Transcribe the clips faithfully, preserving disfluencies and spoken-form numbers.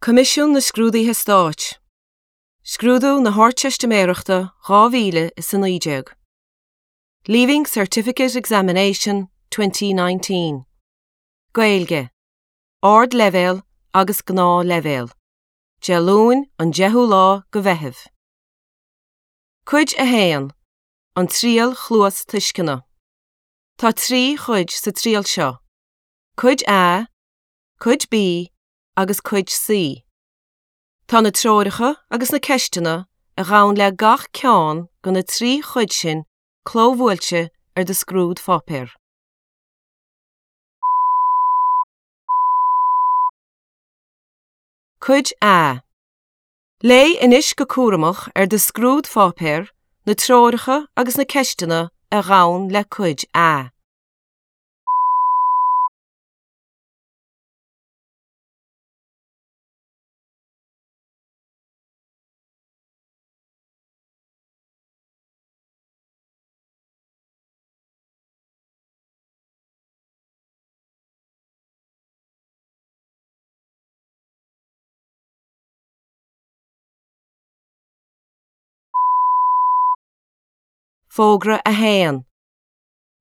Coimisiún na Scrúduithe Stáit. Scrúdú na hArdteistiméireachta dhá mhíle is a naoi déag. Leaving Certificate Examination twenty nineteen. Gaeilge. Ardleibhéal agus Gnáthleibhéal. Dé Luain an deichiú lá de Mheitheamh. Cuid a haon. An Triail Chluastuisceana. Tá trí chuid sa triail seo. Cuid A, Cuid B agus Cuid C. Tá na treoracha agus na ceisteanna a ghabhann le gach ceann de na trí chuid sin clóbhuailte ar do scrúdpháipéar. Cuid A. Léigh anois go cúramach ar do scrúdpháipéar na treoracha agus na ceisteanna a ghabhann le Cuid A. Fógra a haon.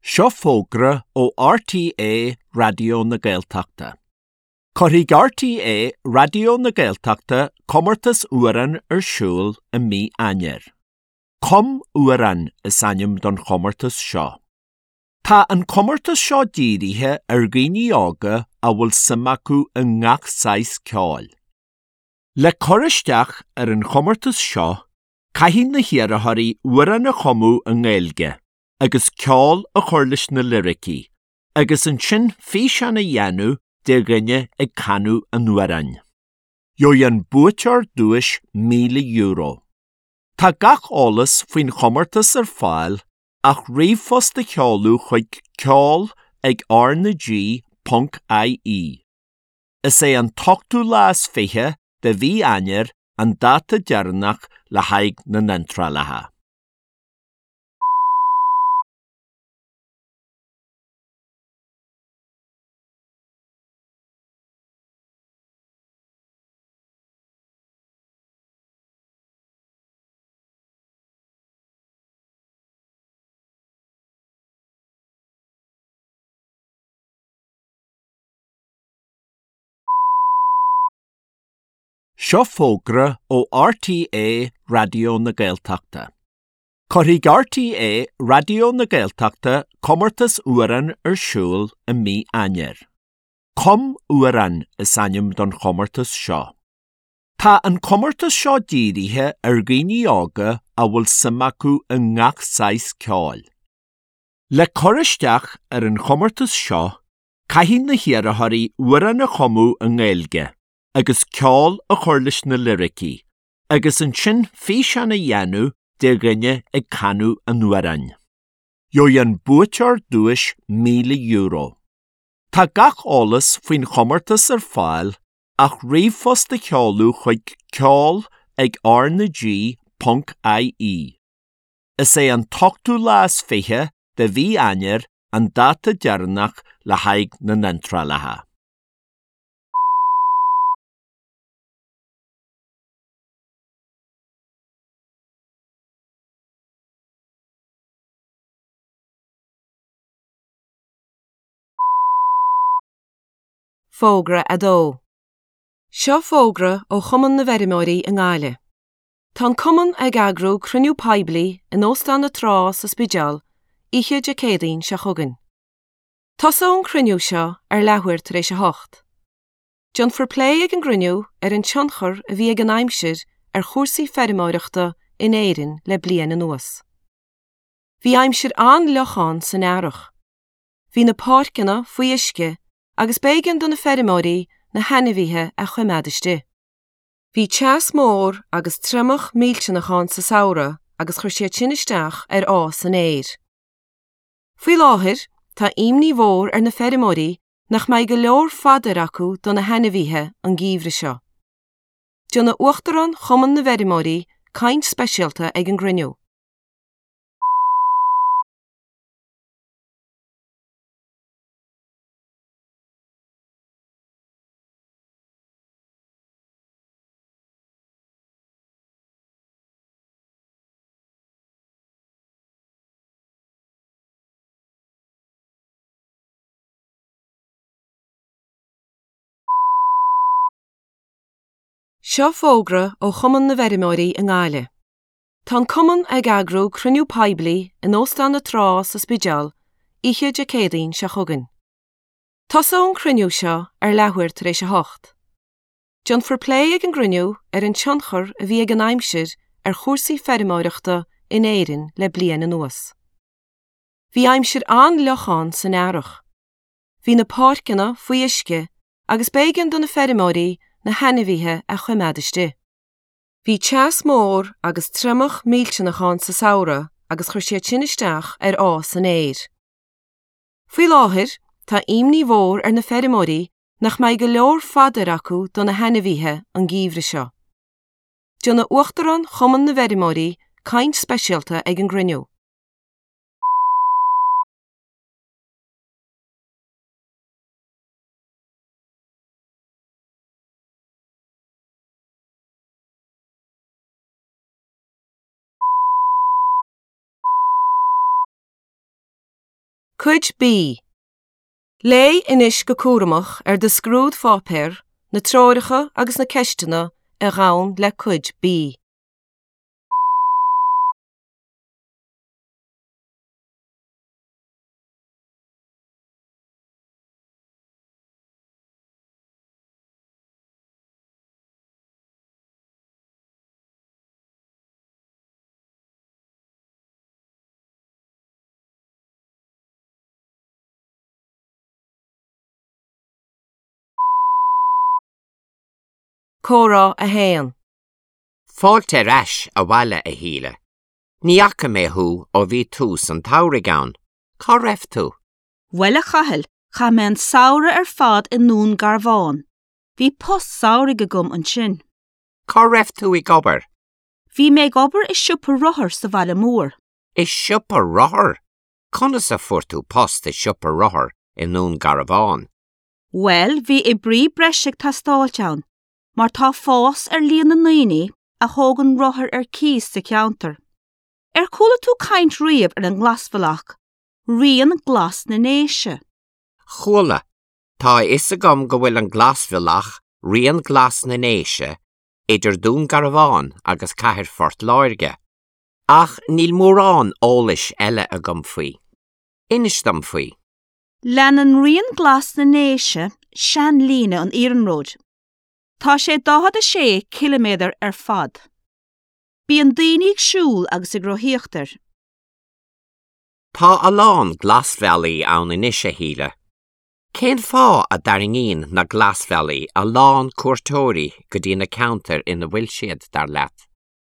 Seo fógra ó R T É Raidió na Gaeltachta. Cuirfidh R T É Raidió na Gaeltachta comórtas amhrán ar siúl i mí Eanáir. Cum Amhrán is ainm don chomórtas seo. Tá an comórtas seo dírithe ar dhaoine óga a bhfuil suim acu i ngach saghas ceoil. Le cur isteach ar an chomórtas seo, caithfidh na hiarrthóirí amhrán a chumadh i nGaeilge agus ceol a chur leis na liricí, agus ansin físeán a dhéanamh de dhuine ag canadh an amhráin. Gheobhaidh an buaiteoir duais míle euro. Tá gach eolas faoin chomórtas ar fáil ach ríomhphost a sheoladh chuig ceol ag R na G ponc I E. Is é an t-ochtú lá is fiche de mhí Eanáir an dáta deireanach le haghaidh na n-iontrálacha. Seo fógra ó R T É Raidió na Gaeltachta. Cuirfidh R T É Raidió na Gaeltachta comórtas amhrán ar siúl i mí Eanáir. Cum Amhrán is ainm don chomórtas seo. Tá an comórtas seo dírithe ar dhaoine óga a bhfuil suim acu i ngach saghas ceoil. Le cur isteach ar an chomórtas seo, caithfidh na hiarrthóirí amhrán a chumadh i nGaeilge agus ceol a chur leis na liricí, agus ansin físeán a dhéanamh de dhuine ag canadh an amhráin. Gheobhaidh an buaiteoir duais míle euro. Tá gach eolas faoin chomórtas ar fáil ach ríomhphost a sheoladh chuig ceol ag R na G ponc I E. Is é an t-ochtú lá is fiche de mhí Eanáir an dáta deireanach le haghaidh na n-iontrálacha. Fógra a dó. Seo fógra ó Chumann na bhFeirmeoirí i nGaillimh. Tá an Cumann ag eagrú cruinniú poiblí in Óstán na Trá sa Spidéal oíche Dé Céadaoin seo chugainn. Tosóidh an cruinniú seo ar leathuair tar éis a hocht. Déanfar plé ag an gcruinniú ar an tionchar a bhí ag an aimsir ar chúrsaí feirmeoireachta in Éirinn le bliain anuas. Bhí aimsir an-fhliuch ann san earrach. Bhí na páirceanna faoi uisce agus b'éigean do na feirmeoirí na hainmhithe a choimeád istigh. Bhí teas mór agus triomach millteanach ann sa samhradh agus chuir siad sin isteach ar fhás an fhéir. Faoi láthair, tá imní mhór ar na feirmeoirí nach mbeidh go leor fadair acu do na hainmhithe an geimhreadh seo. Déanfaidh Uachtarán Chumann na bhFeirmeoirí caint speisialta ag an gcruinniú. Seo fógra ó Chumann na bhFeirmeoirí i nGaillimh. Tá an Cumann ag eagrú cruinniú poiblí in Óstán na Trá sa Spidéal oíche Dé Céadaoin seo chugainn. Tosóidh an cruinniú seo ar leathuair tar éis a hocht. Déanfar plé ag an gcruinniú ar an tionchar a bhí ag an aimsir ar chúrsaí feirmeoireachta in Éirinn le bliain anuas. Bhí aimsir an-fhliuch ann san earrach. Bhí na páirceanna faoi uisce agus b'éigean do na feirmeoirí na hainmhithe a choimeád istigh. Bhí teas mór agus triomach millteanach ann sa samhradh agus chuir siad sin isteach ar fhás an fhéir. Faoi láthair, tá imní mhór ar na feirmeoirí nach mbeidh go leor fadair acu do na hainmhithe an geimhreadh seo. Déanfaidh Uachtarán Chumann na bhFeirmeoirí caint speisialta ag an gcruinniú. Cuid B. Léigh anois go cúramach ar do scrúdpháipéar na treoracha agus na ceisteanna a ghabhann le Cuid B. Comhrá a haon. Fáilte ar ais abhaile a Shíle. Ní fhaca mé thú ó bhí tús an tsamhraidh ann. Cá raibh tú? Bhuel a Chathail, chaith mé an samhradh ar fad i nDún Garbhán. Bhí post samhraidh agam ansin. Cá raibh tú ag obair? Bhí mé ag obair i siopa rothar sa bhaile mór. I siopa rothar? Conas a fuair tú post i siopa rothar i nDún Garbhán? Bhuel, bhí oibrí breise ag teastáilt ann, mar tá fás ar líon na ndaoine a thógann rothair ar cíos sa cheantar. Ar chuala tú caint riamh ar an nGlasbhealach, Rian Glas na nDéise. Chuala, tá a fhios agam go bhfuil an Glasbhealach, Rian Glas na nDéise, idir Dún Garbhán agus Cathair Phort Láirge. Ach níl mórán eolais eile agam faoi. Inis dom faoi. Leanann Rian Glas na nDéise seanlíne an iarnróid. Tá sé daichead a sé ciliméadar ar fad. Bíonn daoine ag siúl agus ag rothaíocht air. Tá a lán glasbhealaí ann anois a Shíle. Cén fáth a dtarraingíonn na glasbhealaí a lán cuairteoirí go dtí na ceantair ina bhfuil siad dar leat?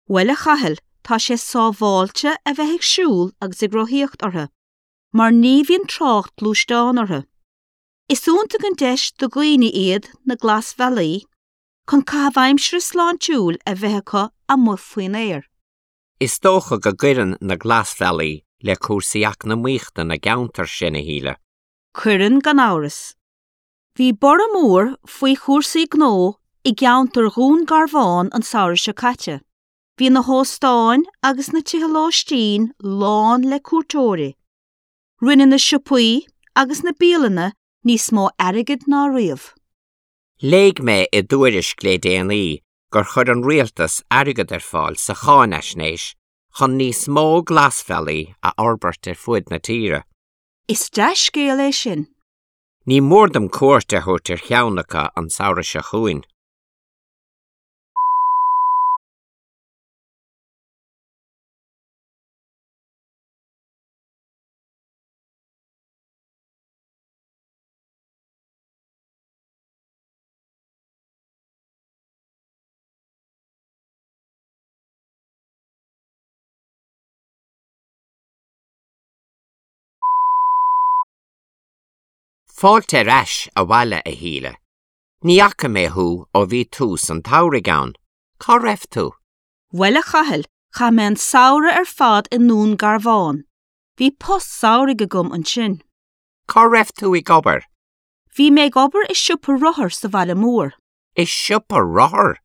Bhuel a Chathail, tá sé sábháilte a bheith ag siúl agus ag rothaíocht orthu, mar ní bhíonn trácht gluaisteán orthu. Is iontach an deis do dhaoine iad na glasbhealaí chun caitheamh aimsire sláintiúil a bheith acu amuigh faoin aer. Is dócha go gcuireann na glasbhealaí le cúrsaí eacnamaíochta na gceantar sin a Shíle. Cuireann gan amhras. Bhí borradh mór faoi chúrsaí gnó i gceantar Dhún Garbhán an samhradh seo caite. Bhí na hóstáin agus na tithe lóistín lán le cuairteoirí. Rinne na siopaí agus na bialanna níos mó airgid ná riamh. Léigh mé i dtuairisc le déanaí gur chuir an rialtas airgead ar fáil sa cháinaisnéis chun níos mó glasbhealaí a fhorbairt ar fud na tíre. Is dea-scéal é sin. Ní mór dom cuairt a thabhairt ar cheann acu an samhradh seo chugainn. Fáilte ar ais abhaile a Shíle. Ní fhaca mé thú ó bhí tús an tsamhraidh ann. Cá raibh tú? Bhuel a Chathail, chaith mé an samhradh ar fad i nDún Garbhán. Bhí post samhraidh agam ansin. Cá raibh tú ag obair? Bhí mé ag obair i siopa rothar sa bhaile mór. I siopa rothar?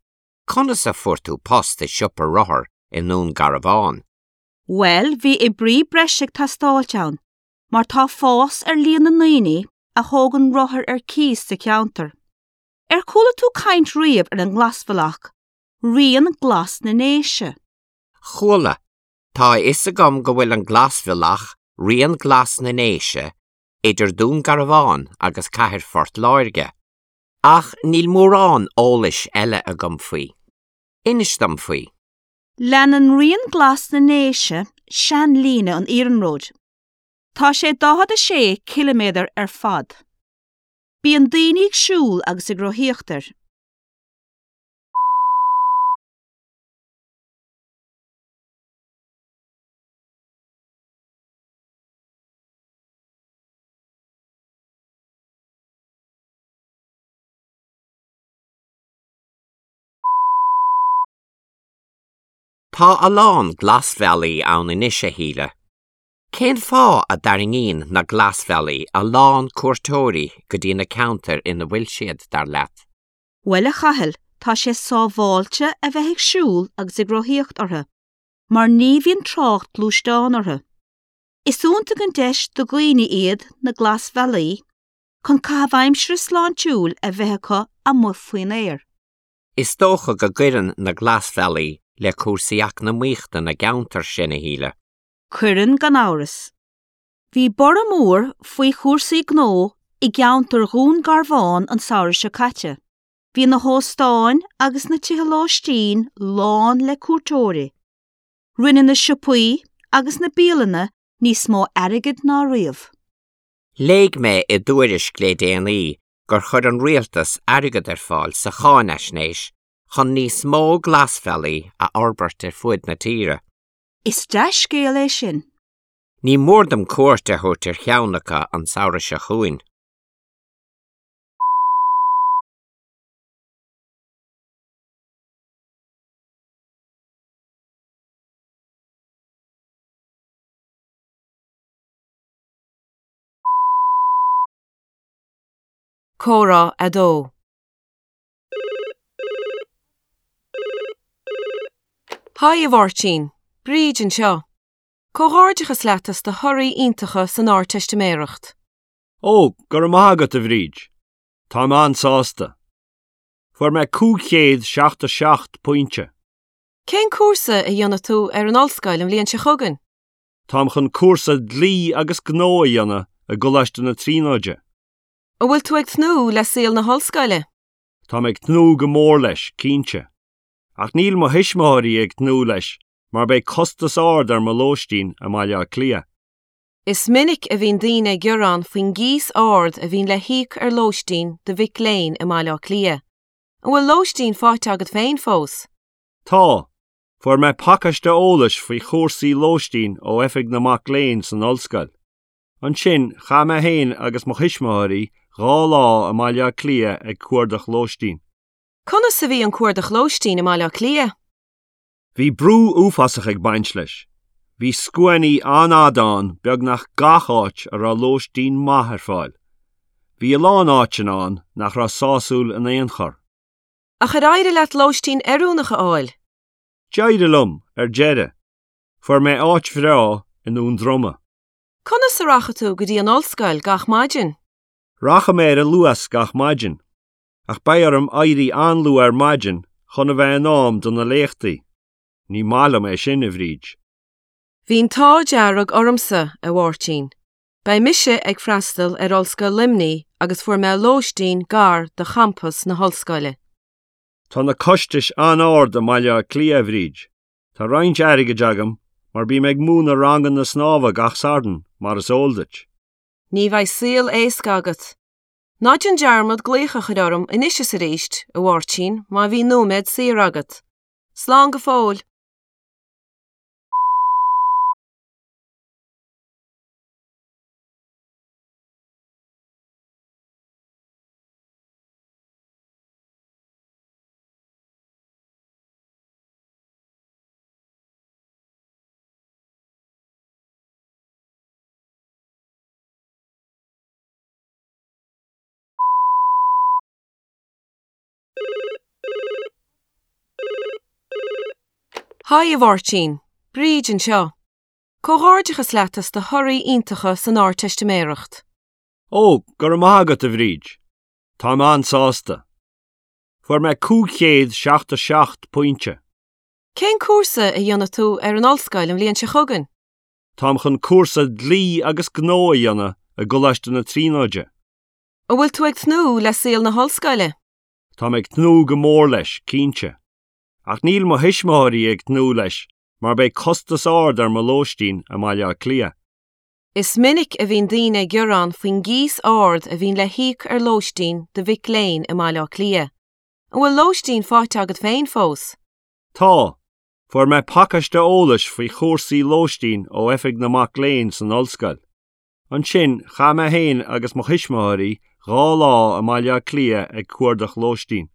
Conas a fuair tú post i siopa rothar i nDún Garbhán? Bhuel, bhí oibrí breise ag teastáilt ann, mar tá fás ar líon na ndaoine a thógann rothair ar cíos sa cheantar. Ar chuala tú caint riamh ar an nGlasbhealach, Rian Glas na nDéise. Chuala. Tá a fhios agam go bhfuil an Glasbhealach, Rian Glas na nDéise, idir Dún Garbhán agus Cathair Phort Láirge. Ach níl mórán eolais eile agam faoi. Inis dom faoi. Leanann Rian Glas na nDéise seanlíne an iarnróid. Tá sé daichead a sé ciliméadar ar fad. Bíonn daoine ag siúl agus ag rothaíocht air. Tá a lán glasbhealaí ann anois a Shíle. Cén fáth a dtarraingíonn na glasbhealaí a lán cuairteoirí go dtí na ceantair ina bhfuil siad, dar leat? Bhuel a Chathail, tá sé sábháilte a bheith ag siúl agus ag rothaíocht orthu, mar ní bhíonn trácht gluaisteán orthu. Is iontach an deis do dhaoine iad na glasbhealaí chun caitheamh aimsire sláintiúil a bheith acu amuigh faoin aer. Is dócha go gcuireann na glasbhealaí le cúrsaí eacnamaíochta na gceantar sin a Shíle. Cuireann gan amhras. Bhí borradh mór faoi chúrsaí gnó i gceantar Dhún Garbhán an samhradh seo caite. Bhí na hóstáin agus na tithe lóistín lán le cuairteoirí. Rinne na siopaí agus na bialanna níos mó airgid ná riamh. Léigh mé i dtuairisc le déanaí gur chuir an rialtas airgead ar fáil sa cháinaisnéis chun níos mó glasbhealaí a fhorbairt ar fud na tíre. Is dea-scéal é sin. Ní mór dom cuairt a thabhairt ar cheann acu an samhradh seo chugainn. Comhrá a dó. Haigh a Mháirtín, Bríd anseo. Comhghairdeachas leat as do thorthaí iontacha san Ardteistiméireacht. Ó, go raibh maith agat a Bhríd. Táim an-sásta. Fuair mé cúig chéad seachtó seacht pointe. Cén cúrsa a dhéanfaidh tú ar an ollscoil an bhliain seo chugainn? Táim chun cúrsa dlí agus gnó a dhéanamh i gColáiste na Tríonóide. An bhfuil tú ag tnúth le saol na hollscoile? Táim ag tnúth go mór leis, cinnte. Ach níl mo thuismitheoirí ag tnúth leis, mar beidh costas ard ar mo lóistín i mBaile Átha Cliath. Is minic a bhíonn daoine ag gearán faoin gcíos ard a bhíonn le híoc ar lóistín do mhic léinn i mBaile Átha Cliath. An bhfuil lóistín faighte agat féin fós? Tá. Fuair mé pacáiste eolais faoi chúrsaí lóistín ó Oifig na Mac Léinn san ollscoil. Ansin, chaith mé féin agus mo thuismitheoirí dhá lá i mBaile Átha Cliath ag cuardach lóistín. Conas a bhí an cuardach lóistín i mBaile Átha Cliath? Bhí brú uafásach ag baint leis. Bhí scuainí an-fhada ann beagnach gach áit a raibh lóistín maith ar fáil. Bhí a lán áiteanna ann nach raibh sásúil in aon chor. Ach ar éirigh leat lóistín oiriúnach a fháil? D'éirigh liom, ar deireadh. Fuair mé áit bhreá i nDún Droma. Conas a rachaidh tú go dtí an ollscoil gach maidin? Rachaidh mé ar an Luas gach maidin, ach beidh orm éirí an-luath ar maidin chun a bheith in am do na léachtaí. Ní maith liom é sin, a Bhríd. Bhí an t-ádh dearg ormsa, a Mháirtín. Beidh mise ag freastal ar Ollscoil Luimnigh agus fuair mé lóistín gar do champas na hollscoile. Tá na costais an-ard i mBaile Átha Cliath, a Bhríd. Tá roinnt airgid agam, mar bím ag múineadh ranganna snámha gach Satharn, mar is eol duit. Ní bheidh saol éasca agat. Ná déan dearmad glaoch a chur orm anois is arís, a Mháirtín, má bhíonn nóiméad saor agat. Slán go fóill. Haigh a Mháirtín, Bríd anseo. Comhghairdeachas leat as do thorthaí iontacha san Ardteistiméireacht. Ó, go raibh maith agat a Bhríd. Táim an-sásta. Fuair mé cúig chéad seachtó seacht pointe. Cén cúrsa a dhéanfaidh tú ar an ollscoil an bhliain seo chugainn? Táim chun cúrsa dlí agus gnó a dhéanamh i gColáiste na Tríonóide. An bhfuil tú ag tnúth le saol na hollscoile? Táim ag tnúth go mór leis, cinnte. Ach níl mo thuismitheoirí ag tnúth leis mar beidh costas ard ar mo lóistín i mBaile Átha Cliath. Is minic a bhíonn daoine ag gearán faoin gcíos ard a bhíonn le híoc ar lóistín do mhic léinn i mBaile Átha Cliath. An bhfuil lóistín faighte agat féin fós? Tá. Fuair mé pacáiste eolais faoi chúrsaí lóistín ó Oifig na Mac Léinn san ollscoil. Ansin, chaith mé féin agus mo thuismitheoirí dhá lá i mBaile Átha Cliath ag cuardach lóistín.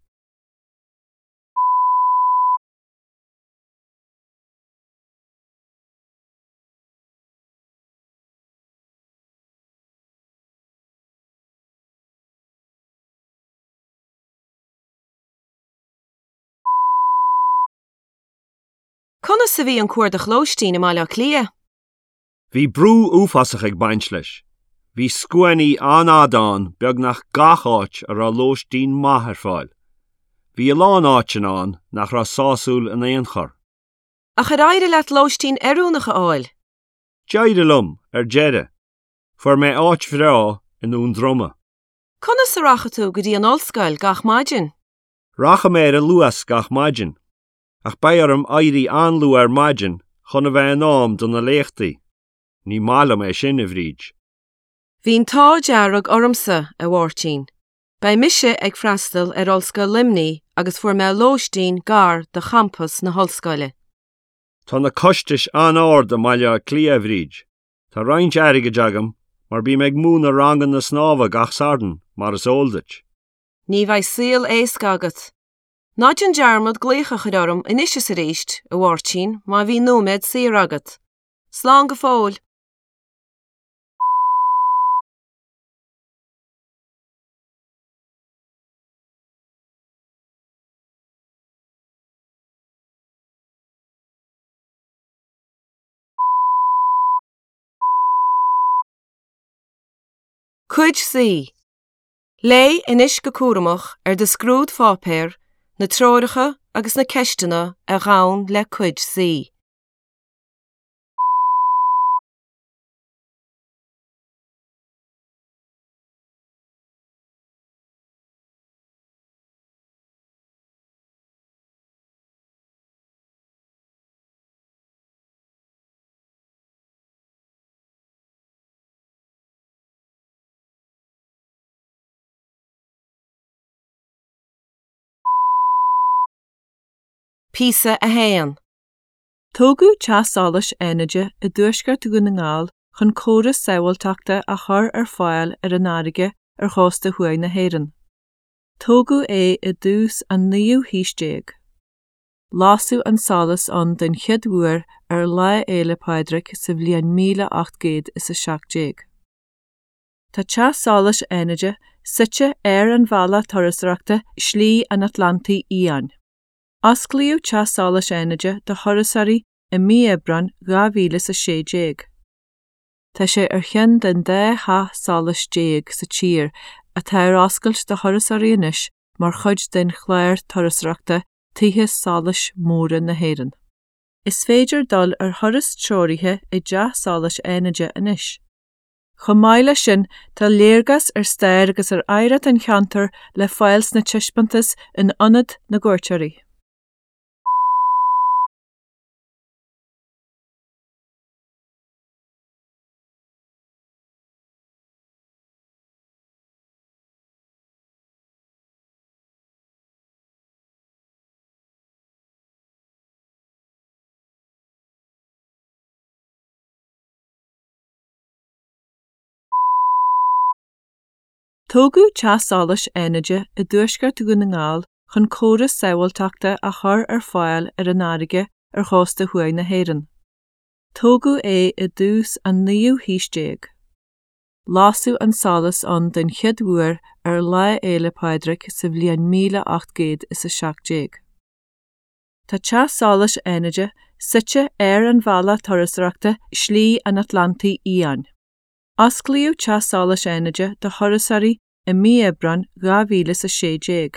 Conas a bhí an cuardach lóistín i mBaile Átha Cliath? Bhí brú uafásach ag baint leis. Bhí scuainí an-fhada ann beagnach gach áit a raibh lóistín maith ar fáil. Bhí a lán áiteanna ann nach raibh sásúil in aon chor. Ach ar éirigh leat lóistín oiriúnach a fháil? D'éirigh liom, ar deireadh. Fuair mé áit bhreá i nDún Droma. Conas a rachaidh tú go dtí an ollscoil gach maidin? Rachaidh mé ar an Luas gach maidin. Ach beidh orm éirí an-luath ar maidin chun a bheith in am do na léachtaí. Ní maith liom é sin, a Bhríd. Bhí an t-ádh dearg ormsa, a Mháirtín. Beidh mise ag freastal ar Ollscoil Luimnigh agus fuair mé lóistín gar do champas na hollscoile. Tá na costais an-ard i mBaile Átha Cliath, a Bhríd. Tá roinnt airgid agam mar bím ag múineadh ranganna snámha gach Satharn, mar is eol duit. Ní bheidh saol éasca agat. Ná déan dearmad glaoch a chur orm anois is arís, a Mháirtín, má bhí nóiméad saor agat. Slán go fóill. Cuid C. Léigh anois go cúramach ar do scrúdpháipéar na treoracha agus na ceisteanna a ghabhann le Cuid C. Píosa a haon. Tógadh Teach Solais Fhánaide i dtuaisceart Dhún na nGall chun córas sábháilteachta a chur ar fáil ar an fharraige ar chósta thuaidh na hÉireann. Tógadh é i dtús an naoú haois déag. Lasadh an solas ann den chéad uair ar Lá Fhéile Pádraig sa bhliain míle ocht gcéad is a seacht déag. Tá Teach Solais Fhánaide suite ar an bhealach turasóireachta Slí an Atlantaigh Fhiáin. Osclaíodh Teach Solais Fhánaide do thurasóirí i mí Aibreáin dhá mhíle is a sé déag. Tá sé ar cheann den dá theach solais déag sa tír atá ar oscailt do thurasóirí anois mar chuid den chlár turasóireachta Tithe Solais Móra na hÉireann. Is féidir dul ar thuras treoraithe i dTeach Solais Fhánaide anois. Chomh maith leis sin, tá léargas ar stair agus ar oidhreacht an cheantair le fáil sna taispeántais in Ionad na gCuairteoirí. Tógadh Teach Solais Fhánaide i dtuaisceart Dhún na nGall chun córas sábháilteachta a chur ar fáil ar an fharraige ar chósta thuaidh na hÉireann. Tógadh é i dtús an naoú haois déag. Lasadh an solas ann den chéad uair ar Lá Fhéile Pádraig sa bhliain míle ocht gcéad is a seacht déag. Tá Teach Solais Fhánaide suite ar an bhealach turasóireachta Slí an Atlantaigh Fhiáin. Osclaíodh Teach Solais Fhánaide do thurasóirí i mí Aibreáin dhá mhíle is a sé déag.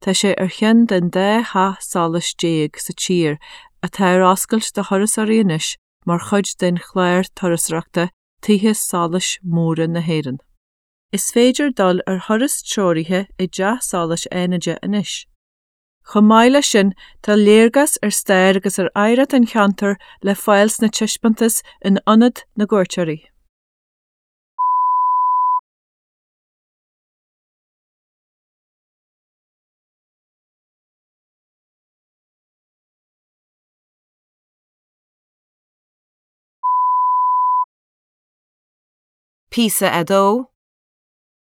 Tá sé ar cheann den dá theach solais déag sa tír atá ar oscailt do thurasóirí anois mar chuid den chlár turasóireachta Tithe Solais Móra na hÉireann. Is féidir dul ar thuras treoraithe i dTeach Solais Fhánaide anois. Chomh maith leis sin, tá léargas ar stair agus ar oidhreacht an cheantair le fáil sna taispeántais in Ionad na gCuairteoirí. Píosa a dó.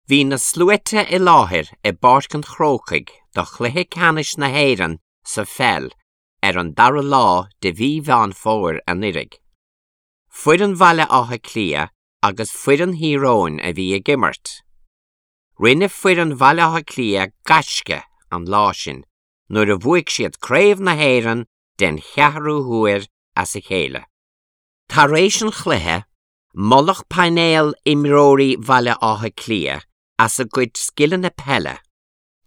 Bhí na sluaite i láthair i bPáirc an Chrócaigh do chluiche ceannais na hÉireann sa pheil ar an dara lá de mhí Mheán Fómhair anuraidh. Foireann Bhaile Átha Cliath agus foireann Thír Eoghain a bhí ag imirt. Rinne foireann Bhaile Átha Cliath gaisce an lá sin nuair a bhuaigh siad Craobh na hÉireann den cheathrú huair as a chéile. Tar éis an chluiche, moladh painéal imreoirí Bhaile Átha Cliath as a gcuid scileanna peile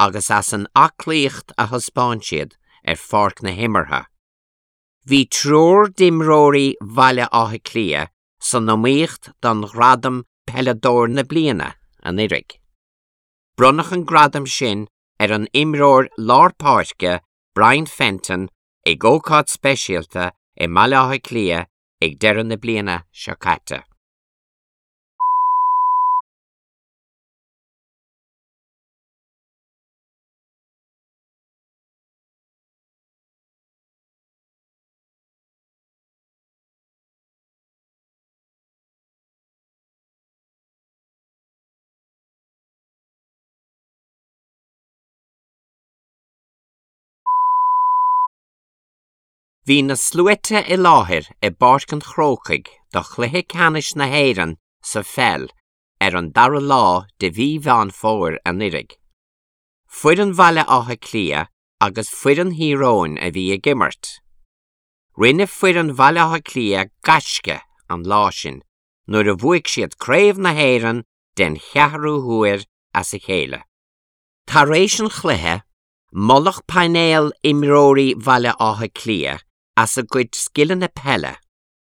agus as an aclaíocht a thaispeáin siad ar pháirc na himeartha. Bhí triúr d'imreoirí Bhaile Átha Cliath san iomaíocht don ghradam Peileadóir na Bliana anuraidh. Bronnadh an gradam sin ar an imreoir lár páirce Brian Fenton ag ócáid speisialta i mBaile Átha Cliath ag deireadh na bliana seo caite. Bhí na sluaite i láthair i bPáirc an Chrócaigh do chluiche ceannais na hÉireann sa pheil ar an dara lá de mhí Mheán Fómhair anuraidh. Foireann Bhaile Átha Cliath agus foireann Thír Eoghain a bhí ag imirt. Rinne foireann Bhaile Átha Cliath gaisce an lá sin nuair a bhuaigh siad Craobh na hÉireann den cheathrú huair as a chéile. Tar éis an chluiche, moladh painéal imreoirí Bhaile Átha Cliath as a gcuid scileanna peile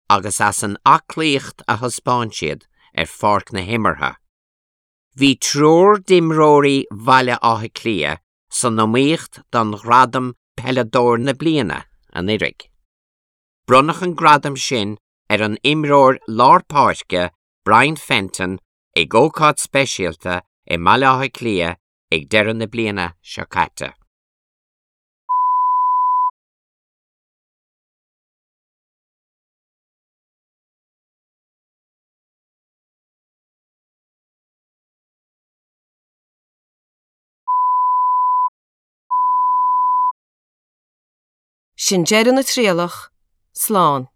agus as an aclaíocht a thaispeáin siad ar pháirc na himeartha. Bhí triúr d'imreoirí Bhaile Átha Cliath san iomaíocht don ghradam Peileadóir na Bliana anuraidh. Bronnadh an gradam sin ar an imreoir lár páirce Brian Fenton ag ócáid speisialta i mBaile Átha Cliath ag deireadh na bliana seo caite. Sin deireadh na trialach, slán.